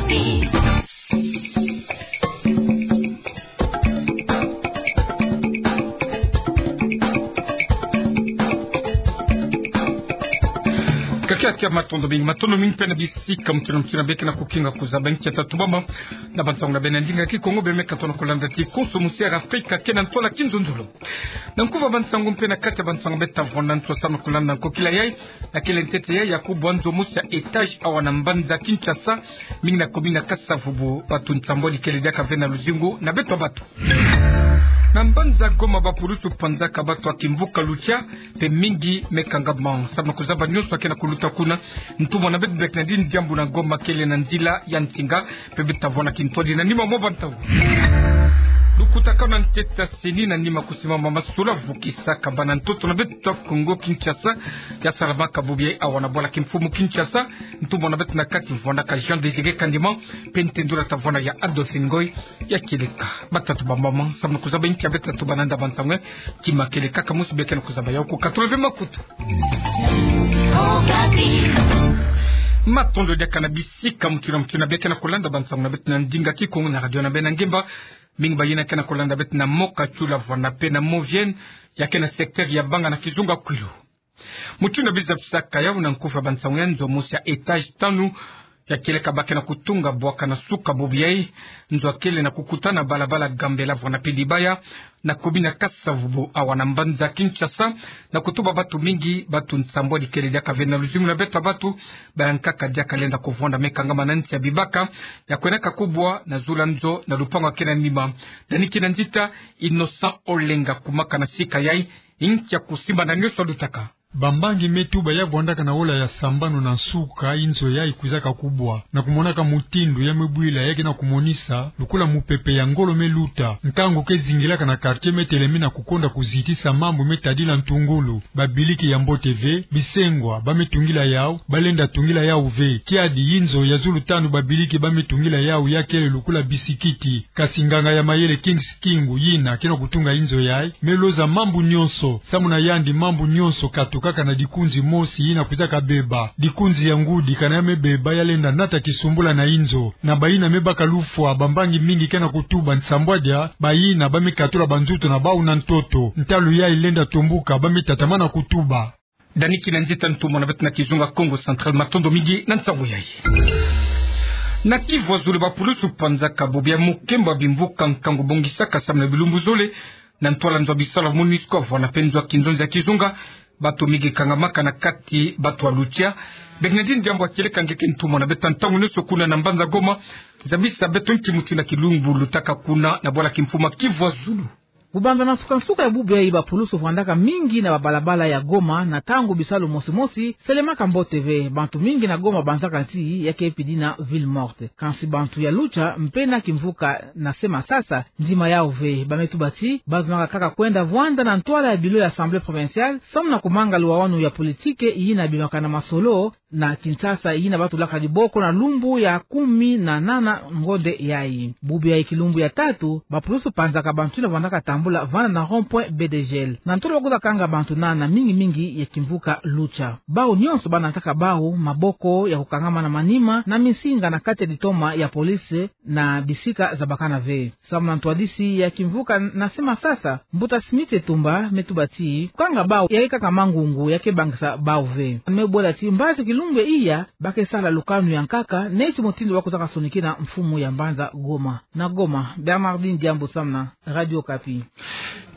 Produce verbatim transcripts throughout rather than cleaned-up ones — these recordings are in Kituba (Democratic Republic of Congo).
Okapi. Kakia kia matondo mingi, matondo mingi mpe na bisika mutuna mutuna beke na kukinga kuzaba nkia tatu bamba. Na bansangu na beno na ndinga Kikongo beno me katono kulanda ti konso musi ya Afrika kena ntwala kinzonzolo. Na nkufa bansangu mpe na kati ya bansangu beto ta vwanda nswa samu na kulanda nkokila yayi, na kele ntete yayi ya kubwa nzo mosi ya étage awa na mbanza Kinshasa, mingi na commune ya Kasa-Vubu, batu nsambwadi kele diaka ve na luzingu na beto batu. Na mbanza Goma, bapulusu panzaka batu ya kimvuka Lucha, mpe mingi me kangama samu na kuzaba nionso ya kena kuluta kuna. Ntumwa na beto beke na dini diambu na Goma kele na nzila ya nsinga, mpe beto ta vwanda kintwadi na nima mwa bantangu. Lukutakanu na ntete ya CENI na nima kusimama masolo ya vukisaka bana ntoto na beto Kongo Kinshasa, ya salamaka bubu yayi awa na bwala kimfumu Kinshasa. Ntumwa na beto na kati vwandaka Jean Désiré Kandima, mpe ntendula ta vwanda ya Adolphe Ngoy. Ya kieleka batatu bambama samu na kuzaba nkia beto ta tuba na nda bansangu. Kima kieleka kaka mosi beke na kuzaba yawu, kukatula ve makutu. Okapi. Matondo diaka na bisika mutuna mutuna beke na kulanda bansangu na beto na ndinga Kikongo na radio na beno na ngemba. Mingi bayina ke na kulanda beto na Mont-Katioula, vwanda mpe na Mont-Vienne, ya ke na secteur ya Banga na kizunga Kwilu. Mutindu na biza bisaka yawu, na nkufa bansangu ya nzo mosi ya étage tanu ya kieleka ba ke na kutunga bwaka na suka bubu yayi. Nzo ya kele na kukuta na balabala Gambela vwanda mpe Dibaya, na commune ya Kasa-Vubu awa na mbanza Kinshasa, na kutuba batu mingi, batu nsambwadi kele diaka ve na luzingu na beto batu. Bayankaka diaka lenda kuvwanda me kangama na nsi ya bibaka ya kwenaka kubwa na zulu ya nzo na lupangu ya ke na nima. Dani kina nzita, Innocent Olenga kumaka na sika yayi, nkia kusimba na nionso lutaka. Bambangi me tuba ya vwandaka na ola ya sambanu na nsuka, inzo yayi kwizaka kubwa, na kumonaka mutindu ya me bwila, ya ke na kumonisa lukula mupepe ya ngolo me luta. Nkangu ke zingilaka na quartier, me telemi na kukonda kuzitisa mambu me tadila ntungulu. Babiliki ya mbote ve, bisengwa ba me tungila yawu, ba lenda tungila yawu ve. Kiadi, inzo ya zulu tanu babiliki ba me tungila yawu ya kele lukula bisikiti. Kasi nganga ya mayele Kings Kingu, yina ke na kutunga inzo yayi, me loza mambu nionso. Samu na yandi, mambu nionso katukaka na dikunzi mosi yina kwizaka beba. Dikunzi ya ngudi, kana ya me beba, ya lenda nata kisumbula na inzo. Na bayina me baka lufwa, bambangi mingi ke na kutuba nsambwadia bayina ba me katula banzutu na bawu na ntoto. Ntalu yayi lenda tombuka, ba me tatamana kutuba. Dani kina nzita, ntumwa na beto na kizunga Kongo Central, matondo mingi na nsangu yayi. Na Kivu ya Zulu, bapulusu panzaka bubu ya mukembo ya bimvuka nkangu bongisaka samu na bilumbu zole, na ntwala nzo ya bisalu ya MONUSCO, vwanda mpe nzo ya kinzonzi ya kizunga. Batu mingi kangamaka, na kati batu ya Lucha. Bernardine Diambu ya kieleka nge ke ntumwa na beto ntangu nionso kuna na mbanza Goma. Zabisa beto nki mutindu na kilumbu lutaka kuna na bwala kimfumu ya Kivu ya Zulu. Kubanza na nsuka-nsuka ya bubu yayi, bapulusu vwandaka mingi na babalabala ya Goma, na ntangu bisalu mosi-mosi selemaka mbote ve. Bantu mingi na Goma babanzaka ti ya ke pidi na ville morte. Kansi bantu ya Lucha mpe na Kimvuka na Sema Sasa, ndima yawu ve. Ba me tuba ti bazonaka kaka kwenda vwanda na ntwala ya bilo ya Assemblée provinciale, samu na kumanga luwawanu ya politike yina bimaka na masolo na Kinshasa, yina batulaka diboko na lumbu ya kumi na nana ngonde yayi. Bubu yayi kilumbu ya tatu, bapulusu panzaka bantu yina vwandaka tambula vana na rond-point B D G L. Na ntolo bakwiza kanga bantu nana, mingi-mingi ya Kimvuka Lucha. Bawu nionso banataka bawu maboko ya kukangama na manima na minsinga na kati ya ditoma ya police na bisika zabakana ve. Samu na ntwadisi ya Kimvuka na Sema Sasa, Mbuta Smith Etumba, me tuba ti kukanga bawu ya ke kaka mangungu ya ke bangisa bawu ve. Me bola ti mbazi kilumbu ya iya ba ke sala lukanu ya nkaka, neti mutindu bakwizaka sonikina mfumu ya mbanza Goma. Na Goma, Bernardine Diambu samu na Radio Okapi.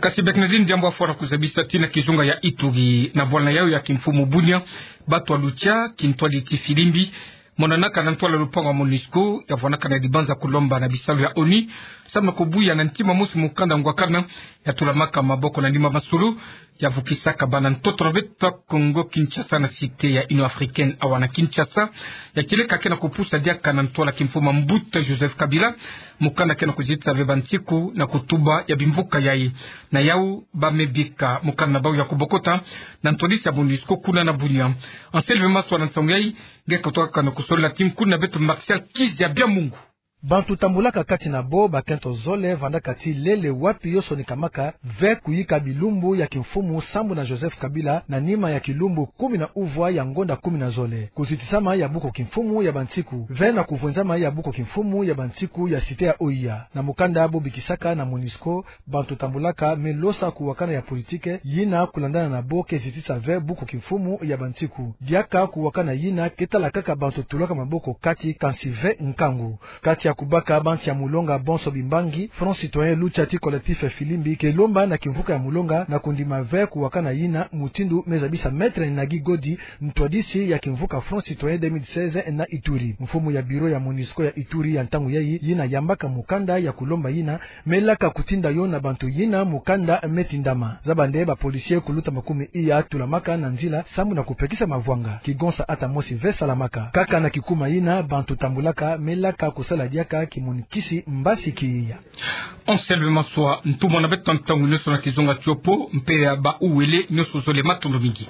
Kasi Bernardine Diambu afwana kuzabisa ti na kizunga ya Ituri, na bwala na yawu ya kimfumu Bunia, batu ya Lucha, kintwadi ti filimbi, monanaka na ntwala lupangu ya MONUSCO, ya vwanaka na dibanza kulomba na bisalu ya ONU, samu na kubuya na ntima mosi mukanda ngwakana, ya tulamaka maboko na nima masolo, ya vukisaka bana ntoto na beto Kongo Kinshasa na Cité ya Union Africaine awa na Kinshasa, ya kieleka ke na kupusa diaka na ntwala kimfumu Mbuta Joseph Kabila, mukanda ke na kuzitisa ve bansiku na kutuba ya bimvuka yayi. Na yawu ba me bika mukanda na bawu ya kubokota na ntwadisi ya MONUSCO kuna na Bunia. Anselme Maswa na nsangu yayi, nge ke tokaka na kusolila ti nkuna beto Martial Kizia Biamungu. Bantu tambulaka kati na bo, bakento zole vandaka ti lele wapi yo sonikamaka, ve kuyika bilumbu ya kimfumu sambu na Joseph Kabila, na nima ya kilumbu kumi na uvwa ya ngonda kumi na zole. Kuzitisama ya buku kimfumu ya bantiku, ve na kuvwenzama ya buku kimfumu ya bantiku ya site ya oya. Na mukanda bo bikisaka na MONUSCO, bantu tambulaka, me losa kuwakana ya politike, yina kulandana na bo ke zitisa ve buku kimfumu ya bantiku. Diaka kuwakana yina ke tala kaka bantu tulaka maboko kati, kansi ve nkangu. Kati ya kubaka bansi ya mulonga bonso bimbangi, Front Citoyen Lucha ti Collectif Filimbi ke lomba na kimvuka ya mulonga na kundima ve kuwakana yina, mutindu me zabisa Maître Nagi Godi, ntwadisi ya kimvuka Front Citoyen deux mille seize na Ituri. Mfumu ya bureau ya MONUSCO ya Ituri ya ntangu yayi, yina yambaka mukanda ya kulomba yina, me laka kutinda yo na bantu yina mukanda me tindama. Zaba nde ba policiers kuluta makumi iya tulamaka na nzila sambu na kupekisa mavwanga. Kigonsa ata mosi ve salamaka. Kaka na kikuma yina, bantu tambulaka me laka kusala diaka kimonikisi mbasi kiya. Anselme Maswa, ntumwa na beto ntangu nionso na kizunga tiopo, mpe ya ba uwele nionso zole, matondo mingi.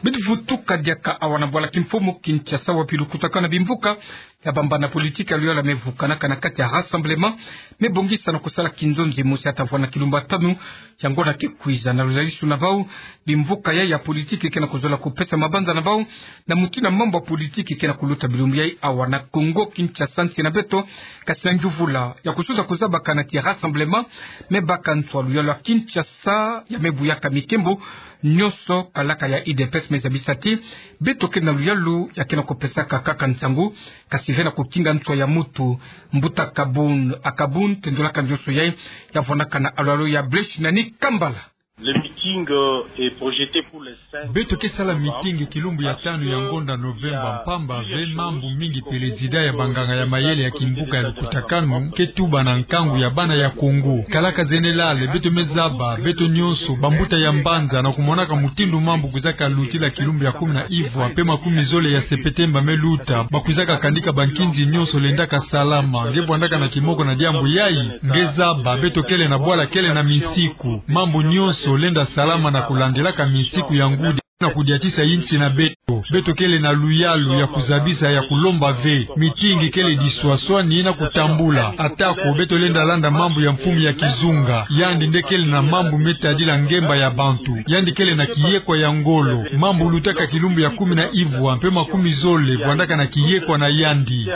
Beto vutuka diaka awa na bwala kimfumu Kinshasa, wapi lukutakanu na bimvuka ya bambana politiki ya luyalu me vukanaka na kati ya rassemblement, me bongisa na kusala kinzonzi mosi ya tavwa na kilumbu ya tanu ya ngonda ke kwiza. Na luzalisu na bau, bimvuka ya, ya politiki ke na kuzola kupesa mabanza na bau na mutindu mambu ya politiki ke na kuluta bilumbu yayi awa na Kongo Kinshasa, nsi na beto, kasi na njuvula ya kususa kuzabaka na ti rassemblement, me baka nswa luyalu ya Kinshasa ya me buyaka mikembo nionso, kalaka ya U D P S me zabisa ti beto ke na luyalu ya ke na kupesaka kaka nsangu, kasi ve na kukinga nswa ya mutu. Mbuta Kabun, Akabun, tendulaka nionso yayi, ya vwandaka na alwalo ya Brèche na ni Kambala. Le meeting, euh, est projeté pour les cinq Beto ke sala meeting kilumbu ya tanu ya ngonda Novemba, mpamba ve mambu mingi président ya banganga ya mayele ya kimvuka ya lukutakanu ke tuba na nkangu ya bana ya Kongo. Kalaka général, beto me zaba, beto nionso, bambuta ya mbanza, na kumonaka mutindu mambu kwizaka lutila kilumbu ya kumi na ivwa, mpe makumi zole ya Sepetemba me luta, bakwizaka kandika bankinzi nionso lendaka salama. Nge vwandaka na kimoko na diambu yayi? Nge zaba, beto kele na bwala, kele na misiku. Mambu nionso lenda salama na kulandilaka misiku ya ngudi na kudiatisa insi na beto. Beto kele na luyalu ya kuzabisa, ya kulomba ve. Meeting kele diswaswani na kutambula. Atako beto lenda landa mambu ya mfumu ya kizunga, yandi nde kele na mambu me tadila ngemba ya bantu. Yandi kele na kiyekwa ya ngolo. Mambu lutaka kilumbu ya kumi na ivwa mpe makumi zole, vwandaka na kiyekwa na yandi.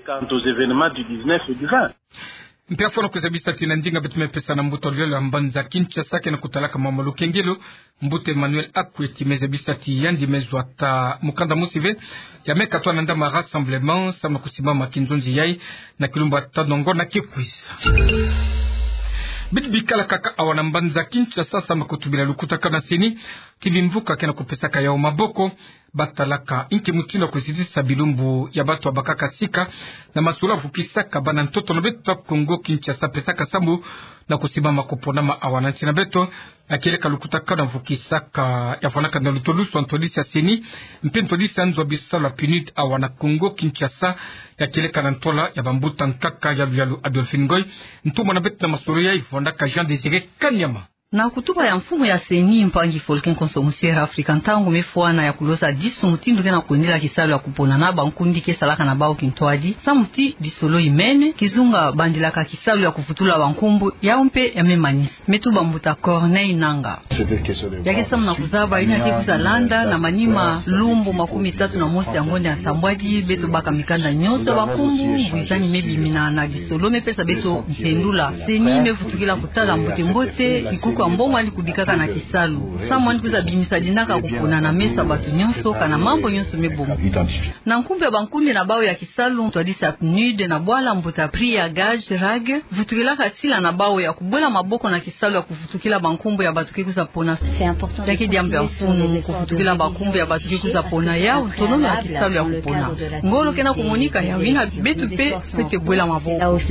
Quant aux événements du dix-neuf et du vingt. Mpe afwana kuzabisa ti na ndinga beto me pesa na mbuta luyalu ya mbanza Kinshasa ke na kutalaka mama lukengelo, mbuta Emmanuel Akweti, me zabisa ti yandi me zwa ata mukanda mosi ve ya me katwa na ndama rassemblement, samu na kusimbama kinzonzi yayi na kilumbu ya tanu ya ngonda ke kwiza. Beto bikala kaka awa na mbanza Kinshasa samu na kutubila lukutakanu na CENI, ti bimvuka ke na kupesaka yau maboko, batalaka inki mutindu ya kuzitisa bilumbu ya bantu ya bakaka sika na masolo ya vukisaka bana ntoto na beto ya Kongo Kinshasa, pesaka sambu na kusimbama kuponama awa na nsi na beto. Ya kieleka lukutakanu ya vukisaka, ya vwandaka na lutolusu ya ntwadisi ya CENI mpe ntwadisi ya nzo ya bisalu ya PNUD awa na Kongo Kinshasa, ya kieleka na ntola ya bambuta nkaka ya luyalu Adolphine Ngoy. Ntumwa na beto na masolo yayi vwandaka Jean Désiré Kanyama. Na kutuba ya mfumu ya CENI, mpangi Faulcon Konso Musiere Afrika, ntangu me fwana ya kulosa disu mutindu ke na kwendela kisalu ya kupona na bankundi ke salaka na bau kintwadi, samu ti disolo imene, kizunga bandilaka kisalu ya kuvutula bankumbu, yau mpe ya me manisa. Me tuba mbuta Corneille Nangaa. Ya ke samu na kuzaba, yina ke kwiza landa na manima lumbu makumi tatu na mosi ya ngonda ya nsambwadi, beto baka mikanda nionso ya bankumbu, mbwizani me bimina na disolo me pesa beto mpendula. CENI me vutukila kutala mbote-mbote kikuku ya mbongo yandi kubikaka na kisalu, samu yandi kwiza bimisa dinaka kupona na meso ya bantu nionso, kana mambu nionso me bonga. Na nkumbu ya bankundi na bau ya kisalu, ntwadisi ya PNUD na bwala, mbuta Priya Gaj Rag, vutukilaka sila na bau ya kubwela maboko na kisalu ya kuvutukila bankumbu ya bantu ke kwiza pona. Ya ke diambu ya mfunu, kuvutukila bankumbu ya bantu ke kwiza pona, yau ntonono ya kisalu ya kupona. Ngolo ke na kumonika, yau yina beto mpe fwete bwela maboko.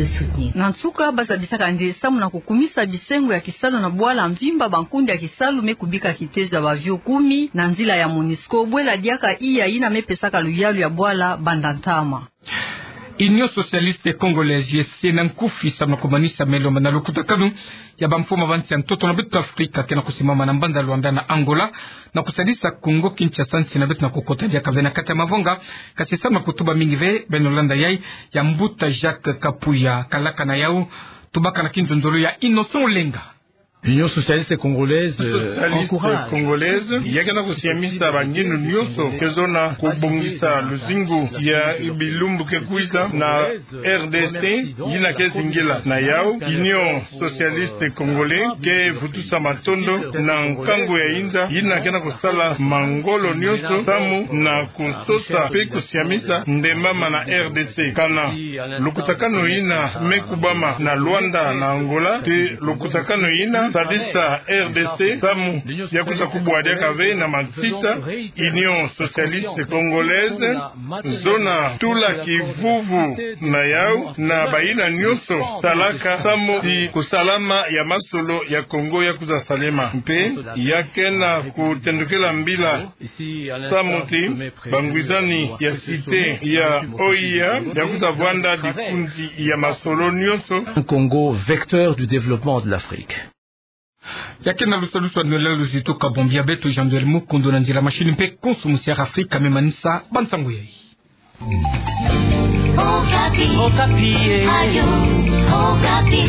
Na nsuka, bazabisaka nde samu na kukumisa bisengo ya kisalu na bwala mvimba, bankundi ya kisalu me kubika kitezo ya bavio kumi na nzila ya MONUSCO, bwela diaka iya yina me pesaka luyalu ya bwala banda ntama. Union Socialiste Congolaise, U S C, na nkufi samu na kumanisa melo mana lukutakanu ya bamfumu ba nsi ya ntoto na beto Afrika ke na kusimama na mbanza Luanda na Angola, na kusalisa Congo Kinshasa, nsi na beto na kukota diaka ve na kati ya mavonga. Kasi samu na kutuba mingi ve, beno landa yai ya mbuta Jacques Kapuya, kalaka na yau, tubaka na kinzonzolo ya Innocent Olenga. Union Socialiste Congolaise, euh, Socialiste encourage. Congolaise, ya ke na kusiamisa bangindu nyonso ke zona kubongisa luzingu ya bilumbu ke kwiza na R D C, yina ke zingila. Na yau, Union Socialiste Congolaise ke vutusa matondo na nkangu ya inza, yina ke na kusala mangolo nyonso samu na kusosa pe kusiamisa ndemama na R D C. Kana lukutakanu yina me kubama na Luanda na Angola, te lukutakanu yina sadisa R D C samu ya kwiza kubwa diaka ve na matsita. Union Socialiste Congolaise, zona tula kivuvu na yau na bayina nyonso salaka samu ti kusalama ya masolo ya Congo ya kwiza salema. Mpe ya ke na kutendukila mbila samu ti bangwizani ya Cité ya O I A ya kwiza vwanda dikunzi ya masolo nyonso. Un Congo vecteur du développement de l'Afrique. Ya ke na lusalusu nolila luzito ka bombi ya beto Jean-Noël Mukundu, na nzila machine mpe konso musiara Afrika me manisa bansangu yai. Okapi. Okapi, eh. Radio Okapi.